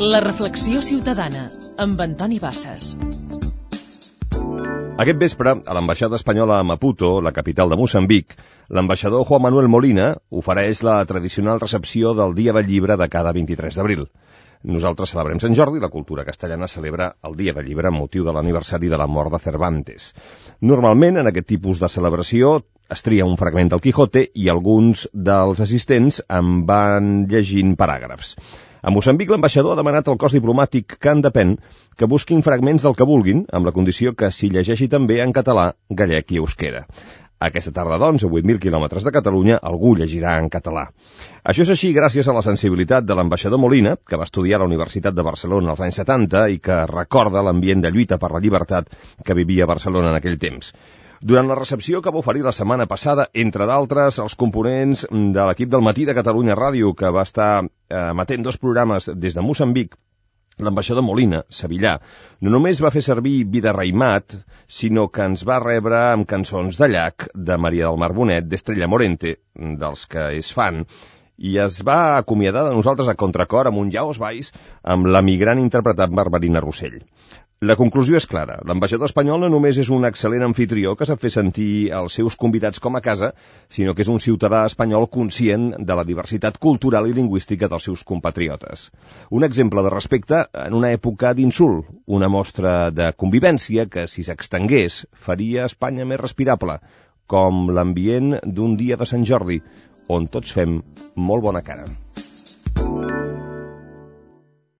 La reflexió ciutadana, amb Antoni Bassas. Aquest vespre, a l'ambaixada espanyola a Maputo, la capital de Moçambic, l'ambaixador Juan Manuel Molina ofereix la tradicional recepció del Dia del Llibre de cada 23 d'abril. Nosaltres celebrem Sant Jordi, la cultura castellana celebra el Dia del Llibre amb motiu de l'aniversari de la mort de Cervantes. Normalment, en aquest tipus de celebració, es tria un fragment del Quijote i alguns dels assistents en van llegint paràgrafs. A Moçambic, l'ambaixador ha demanat al cos diplomàtic que en depèn que busquin fragments del que vulguin, amb la condició que s'hi llegeixi també en català, gallec i euskera. Aquesta tarda, doncs, a 8.000 quilòmetres de Catalunya, algú llegirà en català. Això és així gràcies a la sensibilitat de l'ambaixador Molina, que va estudiar a la Universitat de Barcelona als anys 70 i que recorda l'ambient de lluita per la llibertat que vivia a Barcelona en aquell temps. Durant la recepció que va oferir la setmana passada, entre d'altres, els components de l'equip del Matí de Catalunya Ràdio, que va estar emetent 2 programes des de Moçambic, l'ambaixador Molina, sevillà, no només va fer servir Vida Reimat, sinó que ens va rebre amb cançons de Llach, de Maria del Mar Bonet, d'Estrella Morente, dels que és fan, i es va acomiadar de nosaltres a contracor amb un Ja os vais, amb l'emigrant interpretat Barberina Rossell. La conclusió és clara. L'ambaixador espanyol no només és un excel·lent anfitrió que sap fer sentir els seus convidats com a casa, sinó que és un ciutadà espanyol conscient de la diversitat cultural i lingüística dels seus compatriotes. Un exemple de respecte en una època d'insult, una mostra de convivència que, si s'extengués, faria Espanya més respirable, com l'ambient d'un dia de Sant Jordi, on tots fem molt bona cara.